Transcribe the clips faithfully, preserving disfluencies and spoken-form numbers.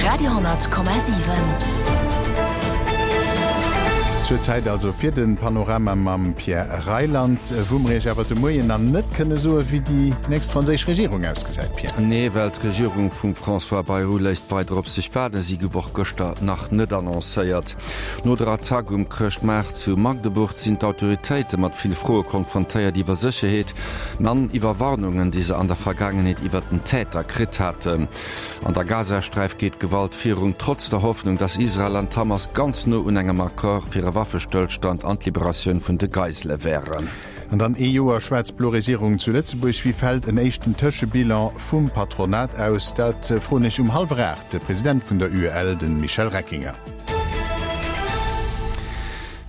Radio honnert Komma siwen. Zur Zäit also fir den Panorama mam Pierre Reyland, wou mer Iech awer de Moien nach net kënne soe wéi déi nächst franséisch Regierung ausgesäit, Pierre. Nee, well d'Regierung vum François Bayrou léisst weider op sech waarden. Si gouf och gëschter nach net annoncéiert. No der Attack um Chrëschtmaart zu Magdeburg sinn d'Autoritéite mat vill Froe konfrontéiert iwwer Sécherheet an iwwer Warnungen, déi se an der Vergaangenheet iwwer den Täter kritt haten. An der Gazasträif geet d'Gewalt virun, trotz der Hoffnung, datt Israel an d'Hamas ganz no un engem Accord fir e Waffestëllstand an d'Liberatioun vun de Geisele wären. An dann ee Joer schwaarz-blo Regierung zu Lëtzebuerg, Wéi fält en éischten Tëschebilan vum Patronat aus? Dat froen ech um hallwer aacht de President vun der UEL, de Michel Reckinger.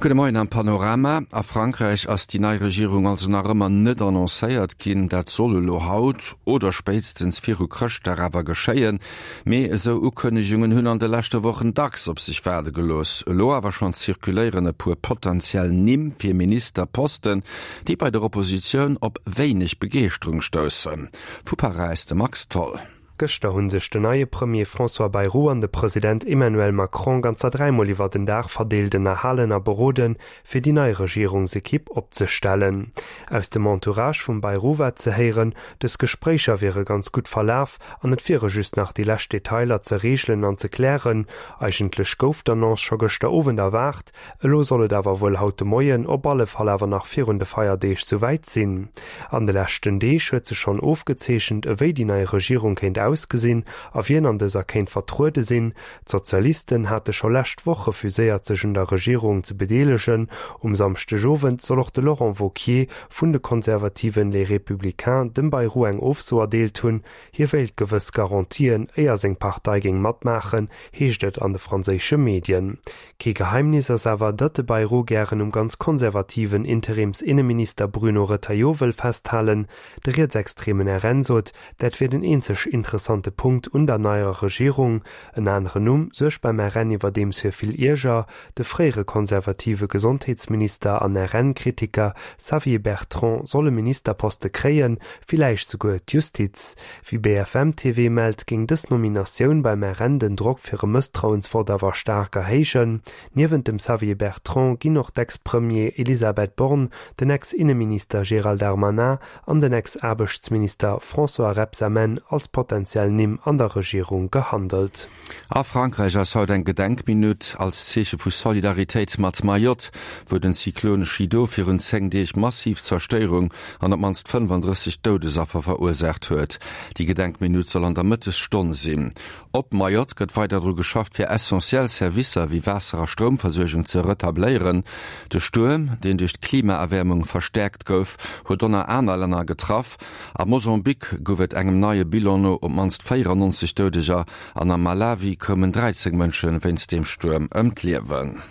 Gudde Moien am Panorama. A Frankräich ass déi nei Regierung also nach ëmmer net annoncéiert ginn. Dat soll elo haut oder spéitstens viru Chrëschtdag awer geschéien. Mee esou Ukënnegungen hunn an de leschte Wochen dacks op sech waarde gelooss. Elo awer schonn zirkuléieren e puer potentiell Nimm fir Ministerposten, déi bei der Oppositioun op wéineg Begeeschterung stoussen. Vu Paräis de Max Tholl. Gëschter hu sech den neie Premier François Bayrou an de President Emmanuel Macron ganzer dräimol iwwer den Dag verdeelt ënnerhalen a beroden, fir déi nei Regierungsekipp opzestellen. Aus dem Entourage vum Bayrou war ze héieren, dës Gespréicher wiere ganz gutt verlaf an et wiere just nach déi lescht Detailer ze reegelen an ze klären. Eigentlech gouf d'Annonce scho gëschter Owend erwaart, elo soll et awer wuel haut de Moien, op alle Fall awer nach virun de Feierdeeg souwäit sinn. An de leschten Deeg huet sech schonn ofgezeechent, ewéi déi nei Regierung kéint ausgesinn a wien an dëser kéint vertruede sinn. D'Sozialisten hate scho lescht Woch refuséiert sech un der Regierung ze bedeelegen. Um Samschdegowend soll och de Laurent Wauquiez vun de konservativen Les Républicains dem Bayrou eng Ofso erdeelt hunn. Hie wéilt gewëss Garantien, éier seng Partei géing matmaachen, heescht et an de franséische Medien. Kee Geheimnis ass awer, datt de Bayrou gären um ganz konservativen Interimsinneminister Bruno Retailleau wëll festhalen. De rietsextremen R N sot, dat wier den eenzeg interessante Punkt un der neier Regierung. En aneren Numm suergt beim R N iwwerdeems fir vill Ierger, de fréiere konservative Gesondheetsminister an R N-Kritiker Xavier Bertrand soll e Ministerposte kréien, villäicht souguer d'Justiz. Wéi B F M T V mellt, géing dës Nominatioun beim R N den Drock fir e Mësstrauensvott awer staark erhéijen. Niewent dem Xavier Bertrand ginn och d'Ex-Premier Elisabeth Borne, den Ex-Inneminister Gérald Darmanin an den Ex-Aarbechtsminister François Rebsamen als potentiell Nimm an der Regierung gehandelt. A Frankräich ass haut eng Gedenkminutt als Zeeche vu Solidaritéit mat Mayotte, wou den Zyklon Chido virun zéng Deeg massiv Zerstéierung an op d'mannst fënnefandrësseg Doudesaffer verursaacht huet. Déi Gedenkminutt soll an der Mëttesstonn sinn. Op Mayotte gëtt weider dru geschafft, fir essentiell Servicer wéi Waasser a Stroumversuergung ze retabléieren. De Stuerm, deen duerch d'Klimaerwäermung verstäerkt gouf, huet och nach aner Länner getraff. A Mosambik gouf et engem neie Bilan no op d'mannst véierannonzeg Doudeger an am Malawi koumen dräizéng Mënsche wéinst deem Stuerm ëm d'Liewen.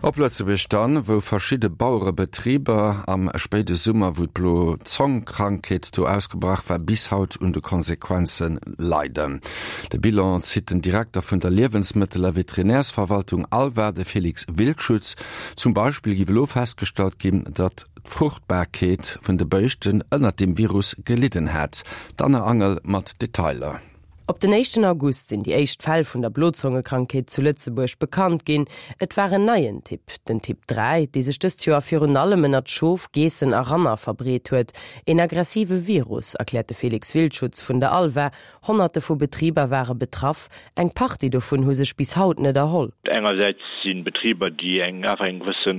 Op Lëtzebuerg dann, wou verschidde Bauerebetriber am spéide Summer, wou d'Blo-Zong-Krankheet do ausgebrach war, bis haut un de Konsequenze leiden. De Bilan zitt den Direkter vun der Liewensmëttel a Veterinärsverwaltung ALVA, de Felix Wildschutz. Zum Beispill géif elo festgestallt ginn, datt d'Fruchtbarkeet vun de Béischten ënnert dem Virus gelidden hätt. D'Anne Angel mat Detailer. Op den éischten August sinn déi éischt Fäll vun der Blozongekrankheet zu Lëtzebuerg bekannt ginn. Et war en neien Typ, den Typ dräi, dee sech dëst Joer virun allem ënnert Schof, Geessen a Ranner verbreet huet. En aggressive Virus, erkläert de Felix Wildschutz vun der ALVA. Honnerte vu Betriber ware betraff, eng Partie dovun hu sech bis haut net erholl. Engersäits si Betriber, déi eng awer eng gewësse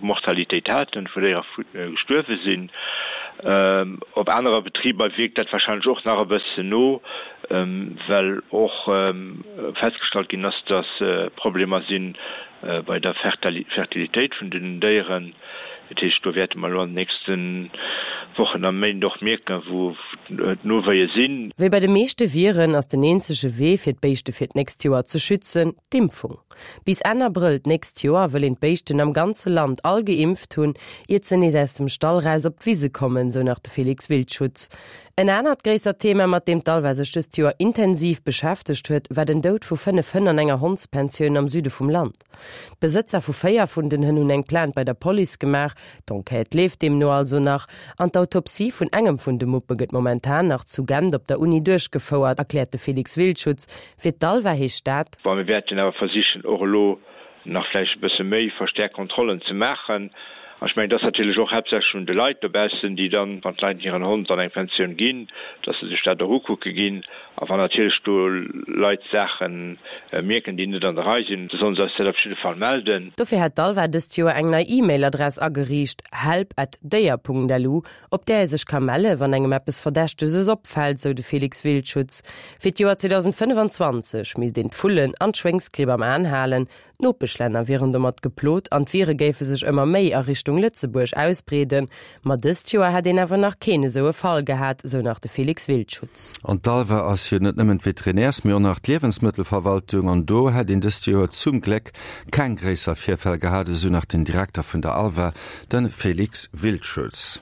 Mortalitéit haten, wou Déiere gestuerwe sinn. Op anere Betriber wierkt dat warscheinlech och nach e bëssen no, well och festgestallt ginn ass, datt Problemer si bei der Fertilitéit vun den Déieren. Dat heescht, do wäerte mer elo an den nächste Wochen a Méint och mierken, wou d'Nowéie sinn. Wéi bei de meeschte Viren ass den eenzege Wee fir d'Béischte fir d'nächst Joer ze schützen, d'Impfung. Bis Enn Abrëll d'nächst Joer wëll een d'Béischten am ganze Land all geimpft hunn, iert se nees aus dem Stall raus op d'Wise kommen, sou nach de Felix Wildschutz. En anert gréissert Thema, mat deem d'ALVA sech dëst Joer intensiv beschäftegt huet, war den Doud vu fënnef Hënn an enger Hondspensioun am Süde vum Land. D'Besëtzer vu véier vun den Hënn hunn eng Plainte bei der Police gemaach, d'Enquête leeft deemno also nach, an d'Autopsie vun engem vun de Muppe gëtt momentan nach zu Gent op der Uni duerchgefouert, erkläert de Felix Wildschutz. Fir d'ALVA heescht dat. Bon, mir wäerten awer versichen, och elo nach vläicht e bësse méi verstäerkt Kontrollen ze maachen. An ech mengen, et ass natierlech och haaptsächlech un de Leit dobaussen, déi dann, wann d'Leit hiren Hond an eng Pensioun ginn, dass se sech dat och ukucke ginn. A wann natierlech do Leit Saache mierken, déi net an der Rei sinn, da solle se eis dat op jidde Fall melden. Dofir hätt d'ALVA dëst Joer eng nei E-Mail-Adress ageriicht, help at déier Punkt lu, op där ee sech ka melle wann engem eppes Verdächteges opfält, sou de Felix Wildschutz. Fir d'Joer zweedausendfënnefanzwanzeg misst een d'Vullen an d'Schwéngsgripp am Aen halen, D'Nopeschlänner wieren domat geplot an d'Vire géife sech ëmmer méi a Richtung Lëtzebuerg ausbreeden. Ma dëst Joer hätt een awer nach keen esou e Fall gehat, sou nach de Felix Wildschutz. An d'ALVA ass jo net nëmmen d'Veterinärs-, mee och nach d'Liewensmëttelverwaltung an do hätt een dëst Joer zum Gléck keng gréisser Virfäll gehat, esou nach den Direkter vun der ALVA, de Felix Wildschutz.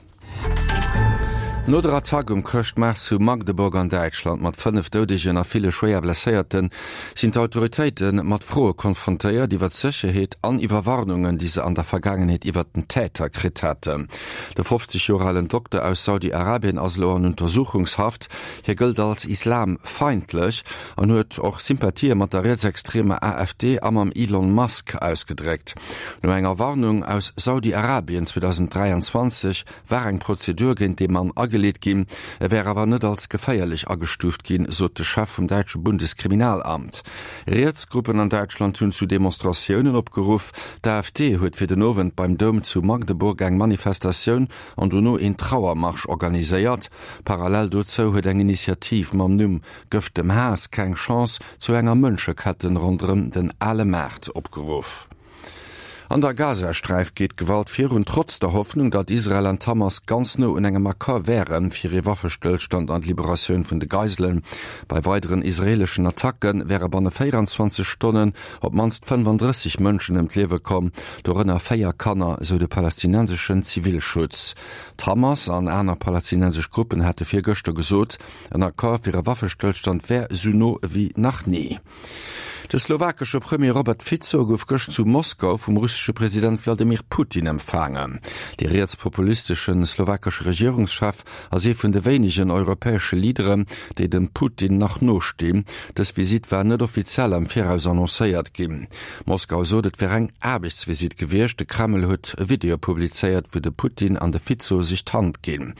No der Attack um Chrëschtmaart zu Magdeburg an Däitschland mat fënnef Doudegen a ville schwéier Blesséierten, sinn d'Autoritéite mat Froe konfrontéiert iwwer d'Sécherheet an iwwer Warnungen, déi se an der Vergaangenheet iwwer den Täter kritt haten. De fofzeg Joer alen Dokter aus Saudi-Arabien ass elo an Untersuchungshaft. Hie gëllt als islamfeindlech an huet och Sympathië mat der rietsextremer A F D a mam Elon Musk ausgedréckt. No enger Warnung aus Saudi-Arabien zweedausenddräianzwanzeg war eng Prozedur géint de Mann ageleet ginn, e wär awer net als geféierlech agestuuft ginn, sot de Chef vum däitsche Bundeskriminalamt. Rietsgruppen an Däitschland hunn zu Demonstratiounen opgeruff. D'A F D huet fir den Owend beim Doum zu Magdeburg eng Manifestatioun an dono een Trauermarsch organiséiert. Parallel dozou huet eng Initiativ mam Numm Gëff dem Haass keng Chance zu enger Mënscheketten ronderëm den Ale Maart opgeruff. An der Gazasträif geet d'Gewalt virun, trotz der Hoffnung, datt Israel an d'Hamas ganz no un engem Accord wären, fir ee Waffestëllstand an d'Liberatioun vun de Geiselen. Bei weideren israeeleschen Attacke wäre banne véieranzwanzeg Stonnen op d'mannst fënnefandrësseg Mënschen ëm d'Liewe komm, dorënner véier Kanner, sou de palästinenseschen Zivilschutz. D'Hamas an aner palästinensesch Gruppen hate virgëschter gesot, en Accord fir e Waffestëllstand wär esou no ewéi nach ni. De slowakesche Premier Robert Fico gouf gëscht zu Moskau vum russesche President Wladimir Putin empfaangen. De rietspopulistesche slowakesche Regierungschef ass ee vun de wéinegen europäesche Leaderen, déi dem Putin nach no stinn. Dës Visitt war net offiziell am Viraus annoncéiert ginn. Moskau sot, et wär eng Aarbechtsvisitt gewiescht. De Kreml huet e Video publizéiert, wou de Putin an de Fico sech d'Hand ginn.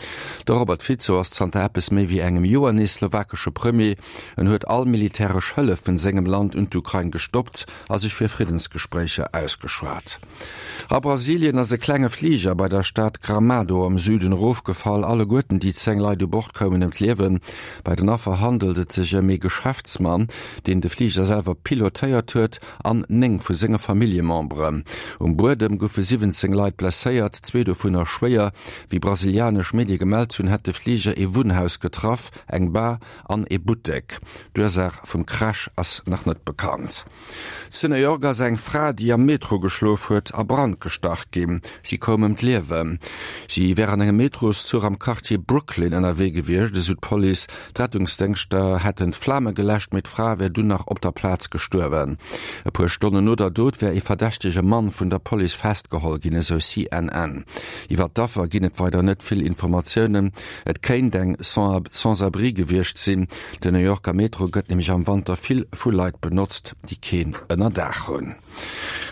De Robert Fico ass zanter eppes méi wéi engem Joer nees slowakesche Premier. En huet all militäresch Hëllef vun sengem Land un d'Ukrain gestoppt a sech fir Friddensgespréicher ausgeschwat. A Brasilien ass e klenge Fliger bei der Stad Gramado am Süden erofgefall. Alleguerten déi zéng Leit u Bord koumen ëm d'Liewen. Bei den Affer handelt et sech ëm ee Geschäftsmann, deen de Fliger selwer pilotéiert huet, an néng vu senge Familljememberen. Um Buedem goufe siwwenzéng Leit blesséiert, zwee dovunner schwéier. Wéi brasilianesch Medie gemellt hunn, hätt de Fliger ee Wunnhaus getraff, eng Bar an ee Buttek. D'Ursaach vum Crash ass nach net bekannt. Zu New York ass eng Fra, déi am Metro geschlof huet, a Brand gestach ginn. Si koum ëm d'Liewen. Si wär an engem Metroszuch am Quartier Brooklyn ënnerwee gewiescht, esou d'Police. D'Rettungsdéngschter hätten d'Flame geläscht, mee d'Fra wär dunn nach op der Plaz gestuerwen. E puer Stonnen no der Dot wär ee verdächtege Mann vun der Police festgeholl ginn, esou C N N. Iwwer d'Affer ginn et weider net vill Informatiounen. Et kéint eng Sans-abri gewiescht sinn. Den New Yorker Metro gëtt nämlech am Wanter vill vu Leit benotzt, déi keen Ënnerdaach hunn.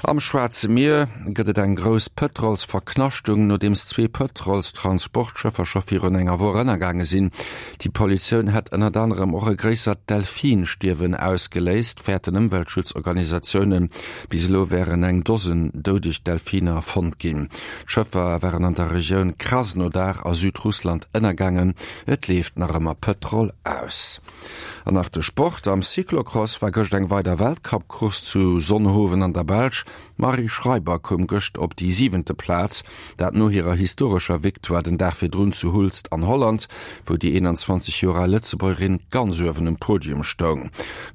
Am Schwaarze Mier gëtt et eng grouss Pëtrolsverknaschtung, nodeems zwee Pëtrolstransportschëffer scho virun enger Woch ënnergaange sinn. Déi Pollutioun hätt ënnert anerem och e gréissert Delfinstierwen ausgeléist, fäerten Ëmweltschutzorganisatiounen. Bis elo wären eng Dosen doudeg Delfiner fonnt ginn. D'Schëffer waren an der Regioun Krasnodar a Südrussland ënnergaangen. Et leeft nach ëmmer Pëtrol aus. An nach de Sport. Am Cyclocross war gëscht eng weider Weltcup-Course zu Zonhoven an der Belsch. D'Marie Schreiber koum gëscht op déi siwente Plaz, dat no hirer historescher Victoire den Dag virdrun zu Hulst an Holland, wou déi eenanzwanzeg Joer al Lëtzebuergerin ganz uewen um Podium stoung.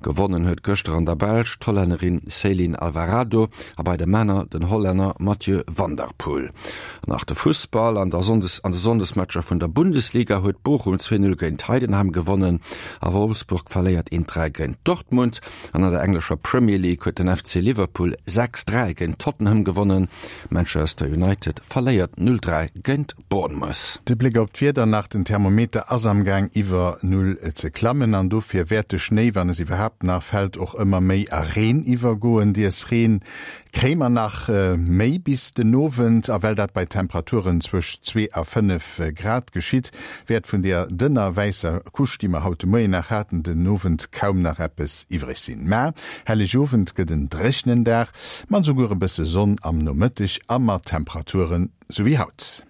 Gewonnen huet gëschter an der Belsch d'Hollännerin Ceylin Alvarado a bei de Männer den Hollänner Mathieu van der Poel. An nach de Fussball, An der Sonndes an de Sonndesmatcher vun der Bundesliga huet Bochum zwee Null géint Heidenheim gewonnen a Wolfsburg verléiert een Dräi géint Dortmund. An an der englescher Premier League huet den F C Liverpool sechs dräi géint Tottenham gewonnen. Manchester United verléiert null dräi géint Bournemouth. De Bléck op d'Wieder nach, Den Thermometer ass am Gaang iwwer Null ze klammen an dofir wäert de Schnéi, wann es iwwerhaapt nach fält, och ëmmer méi a Reen iwwergoen. Dier's Reen kréie mer nach méi bis den Owend, a well dat bei Temperaturen zwëscht zwee a fënnef Grad geschitt, wäert vun deeër dënner wäisser Couche, déi mer haut de Moien nach haten, den Owend kaum nach eppes iwwreg sinn. Mä Hellegowend gëtt en dréchnen Dag, mat esouguer e bësse Sonn am Nomëtteg a mat Temperaturen sou wéi haut.